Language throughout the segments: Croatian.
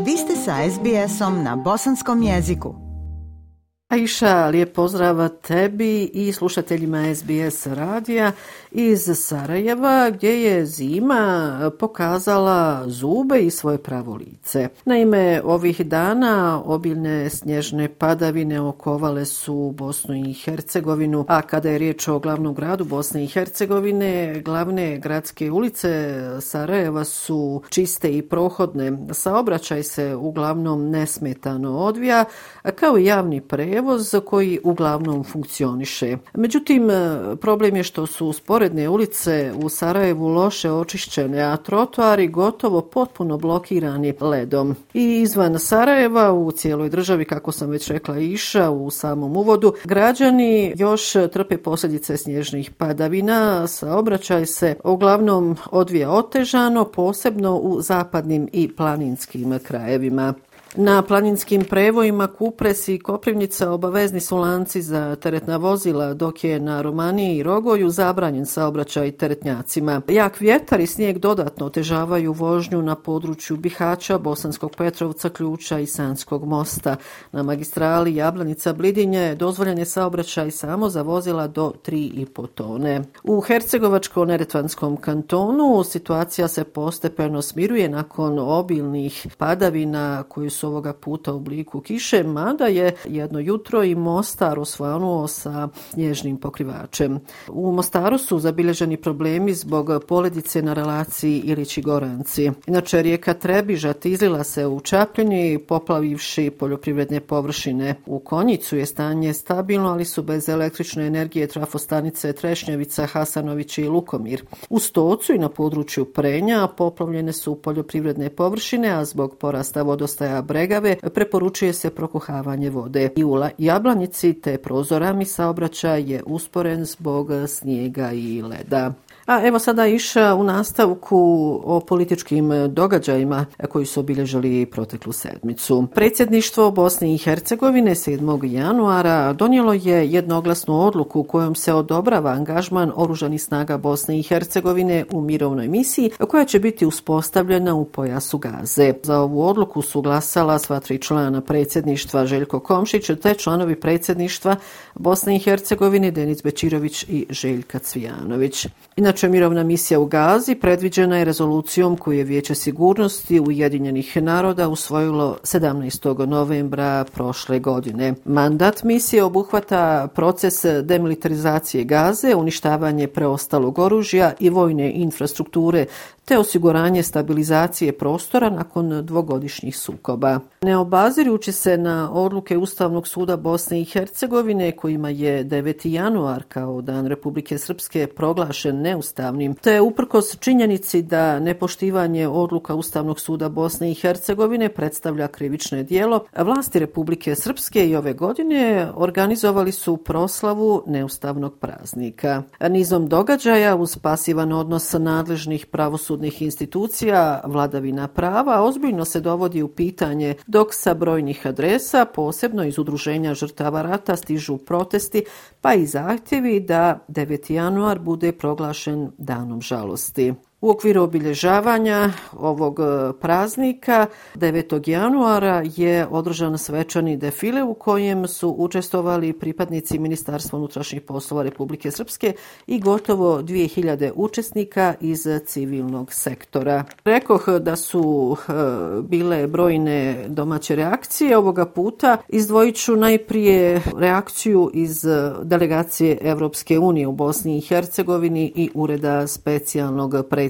Vi ste sa SBS-om na bosanskom jeziku. Aisha, lijep pozdrav tebi i slušateljima SBS radija iz Sarajeva, gdje je zima pokazala zube i svoje pravo lice. Naime, ovih dana obilne snježne padavine okovale su Bosnu i Hercegovinu, a kada je riječ o glavnom gradu Bosne i Hercegovine, glavne gradske ulice Sarajeva su čiste i prohodne. Saobraćaj se uglavnom nesmetano odvija, kao i javni prevoz koji uglavnom funkcioniše. Međutim, problem je što su sporedne ulice u Sarajevu loše očišćene, a trotoari gotovo potpuno blokirani ledom. I izvan Sarajeva, u cijeloj državi, kako sam već rekla Aisha u samom uvodu, građani još trpe posljedice snježnih padavina. Saobraćaj se uglavnom odvija otežano, posebno u zapadnim i planinskim krajevima. Na planinskim prevojima Kupres i Koprivnica obavezni su lanci za teretna vozila, dok je na Romaniji i Rogoju zabranjen saobraćaj teretnjacima. Jak vjetar i snijeg dodatno otežavaju vožnju na području Bihaća, Bosanskog Petrovca, Ključa i Sanskog mosta. Na magistrali Jablanica-Blidinje dozvoljen je saobraćaj samo za vozila do 3,5 tone. U Hercegovačko-neretvanskom kantonu situacija se postepeno smiruje nakon obilnih padavina koji su ovoga puta u obliku kiše, mada je jedno jutro i Mostar osvanuo sa snježnim pokrivačem. U Mostaru su zabilježeni problemi zbog poledice na relaciji Ilići-Goranci. Inače, rijeka Trebižat izlila se u Čapljini, poplavivši poljoprivredne površine. U Konjicu je stanje stabilno, ali su bez električne energije trafostanice Trešnjevica, Hasanović i Lukomir. U Stocu i na području Prenja poplavljene su poljoprivredne površine, a zbog porasta vodostaja Bregave preporučuje se prokuhavanje vode. I u Jablanici te Prozorami saobraćaj je usporen zbog snijega i leda. A evo sada Aisha u nastavku o političkim događajima koji su obilježili proteklu sedmicu. Predsjedništvo Bosne i Hercegovine 7. januara donijelo je jednoglasnu odluku kojom se odobrava angažman oružanih snaga Bosne i Hercegovine u mirovnoj misiji koja će biti uspostavljena u pojasu Gaze. Za ovu odluku su glasala sva 3 člana predsjedništva, Željko Komšić, te članovi predsjedništva Bosne i Hercegovine Denis Bečirović i Željka Cvijanović. Inače, mirovna misija u Gazi predviđena je rezolucijom koju je Vijeće sigurnosti Ujedinjenih naroda usvojilo 17. novembra prošle godine. Mandat misije obuhvata proces demilitarizacije Gaze, uništavanje preostalog oružja i vojne infrastrukture, te osiguranje stabilizacije prostora nakon dvogodišnjih sukoba. Ne obazirujući se na odluke Ustavnog suda Bosne i Hercegovine, kojima je 9. januar kao Dan Republike Srpske proglašen neustavnim, te uprkos činjenici da nepoštivanje odluka Ustavnog suda Bosne i Hercegovine predstavlja krivično djelo, vlasti Republike Srpske i ove godine organizovali su proslavu neustavnog praznika. Nizom događaja uz pasivan odnos nadležnih pravosudnih institucija, vladavina prava ozbiljno se dovodi u pitanje, dok sa brojnih adresa, posebno iz udruženja žrtava rata, stižu protesti pa i zahtjevi da 9. januar bude proglašen danom žalosti. U okviru obilježavanja ovog praznika 9. januara je održan svečani defile u kojem su učestvovali pripadnici Ministarstva unutrašnjih poslova Republike Srpske i gotovo 2000 učesnika iz civilnog sektora. Rekoh da su bile brojne domaće reakcije ovoga puta. Izdvojit ću najprije reakciju iz delegacije Evropske unije u Bosni i Hercegovini i Ureda specijalnog predstavnika.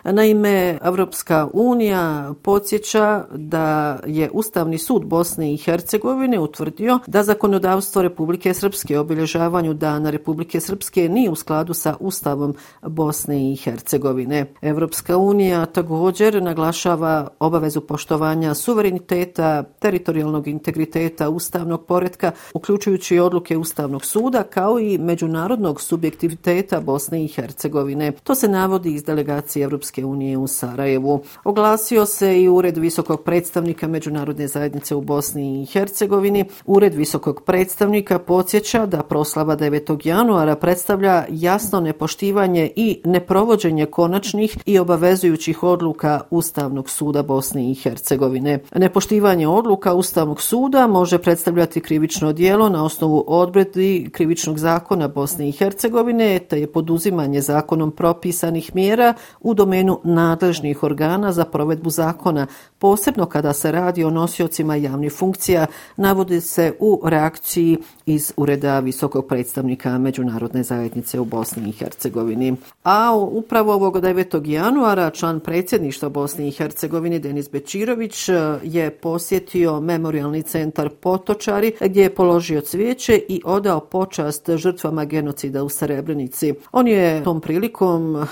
Naime, Evropska unija podsjeća da je Ustavni sud Bosne i Hercegovine utvrdio da zakonodavstvo Republike Srpske o obilježavanju Dana Republike Srpske nije u skladu sa Ustavom Bosne i Hercegovine. Evropska unija također naglašava obavezu poštovanja suvereniteta, teritorijalnog integriteta, ustavnog poretka, uključujući odluke Ustavnog suda, kao i međunarodnog subjektiviteta Bosne i Hercegovine. To se navodi iz delegacije Europske unije u Sarajevu. Oglasio se i Ured visokog predstavnika Međunarodne zajednice u Bosni i Hercegovini. Ured visokog predstavnika podsjeća da proslava 9. januara predstavlja jasno nepoštivanje i neprovođenje konačnih i obavezujućih odluka Ustavnog suda Bosne i Hercegovine. Nepoštivanje odluka Ustavnog suda može predstavljati krivično djelo na osnovu odredbi Krivičnog zakona Bosne i Hercegovine, te je poduzimanje zakonom propisanih mjera u domenu nadležnih organa za provedbu zakona, posebno kada se radi o nosiocima javnih funkcija, navodi se u reakciji iz Ureda visokog predstavnika Međunarodne zajednice u Bosni i Hercegovini. A upravo ovog 9. januara član predsjedništva Bosne i Hercegovine Denis Bećirović je posjetio memorijalni centar Potočari gdje je položio cvijeće i odao počast žrtvama genocida u Srebrenici. On je tom prilikom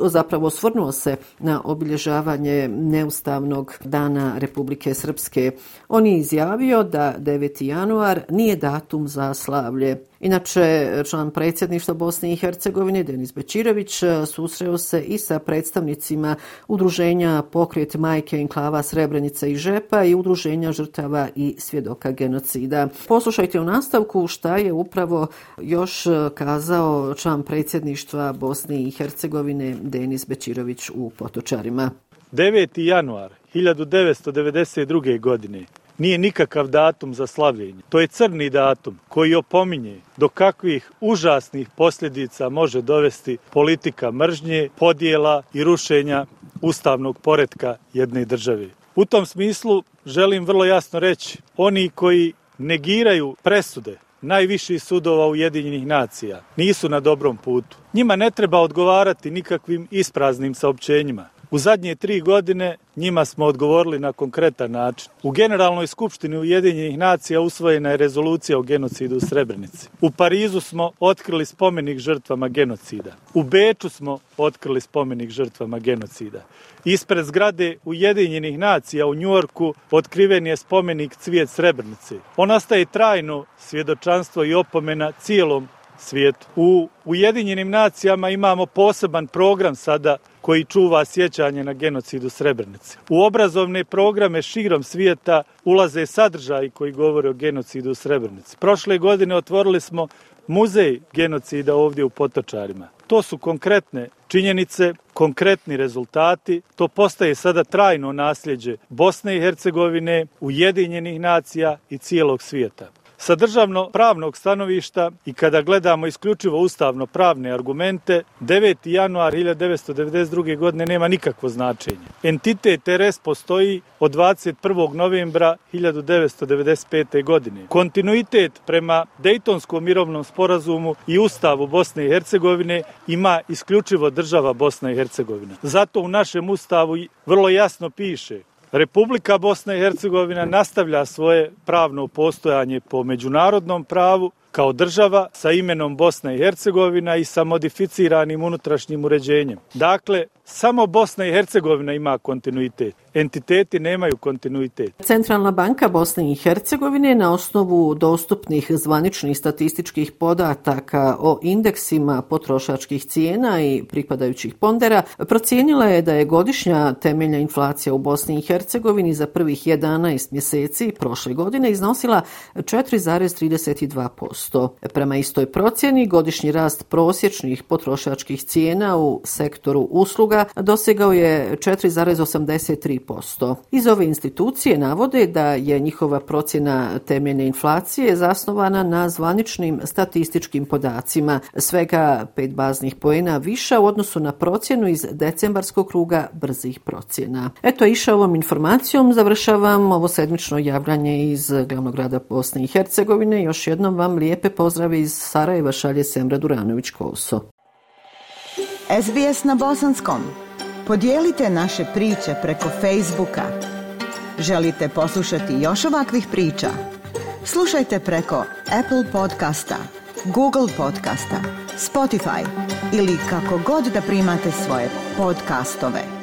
zapravo osvrnuo se na obilježavanje neustavnog dana Republike Srpske. On je izjavio da 9. januar nije datum za slavlje. Inače, član predsjedništva Bosne i Hercegovine Denis Bećirović susreo se i sa predstavnicima udruženja Pokret majke enklava Srebrenica i Žepa i udruženja žrtava i svjedoka genocida. Poslušajte u nastavku šta je upravo još kazao član predsjedništva Bosne i Hercegovine Denis Bećirović u Potočarima. 9. januar 1992. godine nije nikakav datum za slavljenje. To je crni datum koji opominje do kakvih užasnih posljedica može dovesti politika mržnje, podjela i rušenja ustavnog poretka jedne države. U tom smislu želim vrlo jasno reći, oni koji negiraju presude najviših sudova Ujedinjenih nacija nisu na dobrom putu. Njima ne treba odgovarati nikakvim ispraznim saopćenjima. U zadnje 3 godine njima smo odgovorili na konkretan način. U Generalnoj skupštini Ujedinjenih nacija usvojena je rezolucija o genocidu u Srebrenici. U Parizu smo otkrili spomenik žrtvama genocida. U Beču smo otkrili spomenik žrtvama genocida. Ispred zgrade Ujedinjenih nacija u Njujorku otkriven je spomenik Cvijet Srebrenice. On ostaje trajno svjedočanstvo i opomena cijelom svijetu. U Ujedinjenim nacijama imamo poseban program sada koji čuva sjećanje na genocid u Srebrenici. U obrazovne programe širom svijeta ulaze sadržaji koji govore o genocidu u Srebrenici. Prošle godine otvorili smo muzej genocida ovdje u Potočarima. To su konkretne činjenice, konkretni rezultati. To postaje sada trajno nasljeđe Bosne i Hercegovine, Ujedinjenih nacija i cijelog svijeta. Sa državno-pravnog stanovišta i kada gledamo isključivo ustavno-pravne argumente, 9. januar 1992. godine nema nikakvo značenje. Entitet RS postoji od 21. novembra 1995. godine. Kontinuitet prema Dejtonskom mirovnom sporazumu i Ustavu Bosne i Hercegovine ima isključivo država Bosna i Hercegovina. Zato u našem Ustavu vrlo jasno piše: Republika Bosna i Hercegovina nastavlja svoje pravno postojanje po međunarodnom pravu kao država sa imenom Bosna i Hercegovina i sa modificiranim unutrašnjim uređenjem. Dakle, samo Bosna i Hercegovina ima kontinuitet. Entiteti nemaju kontinuitet. Centralna banka Bosne i Hercegovine na osnovu dostupnih zvaničnih statističkih podataka o indeksima potrošačkih cijena i pripadajućih pondera procijenila je da je godišnja temeljna inflacija u Bosni i Hercegovini za prvih 11 mjeseci prošle godine iznosila 4,32%. Prema istoj procjeni godišnji rast prosječnih potrošačkih cijena u sektoru usluga dosegao je 4,83%. Iz ove institucije navode da je njihova procjena temeljne inflacije zasnovana na zvaničnim statističkim podacima, svega 5 baznih poena viša u odnosu na procjenu iz decembarskog kruga brzih procjena. Eto, iša ovom informacijom završavam ovo sedmično javljanje iz glavnog grada Bosne i Hercegovine. Još jednom vam lijepe pozdrave iz Sarajeva šalje Semra Duranović-Koso. SBS na bosanskom. Podijelite naše priče preko Facebooka. Želite poslušati još ovakvih priča? Slušajte preko Apple podcasta, Google podcasta, Spotify ili kako god da primate svoje podcastove.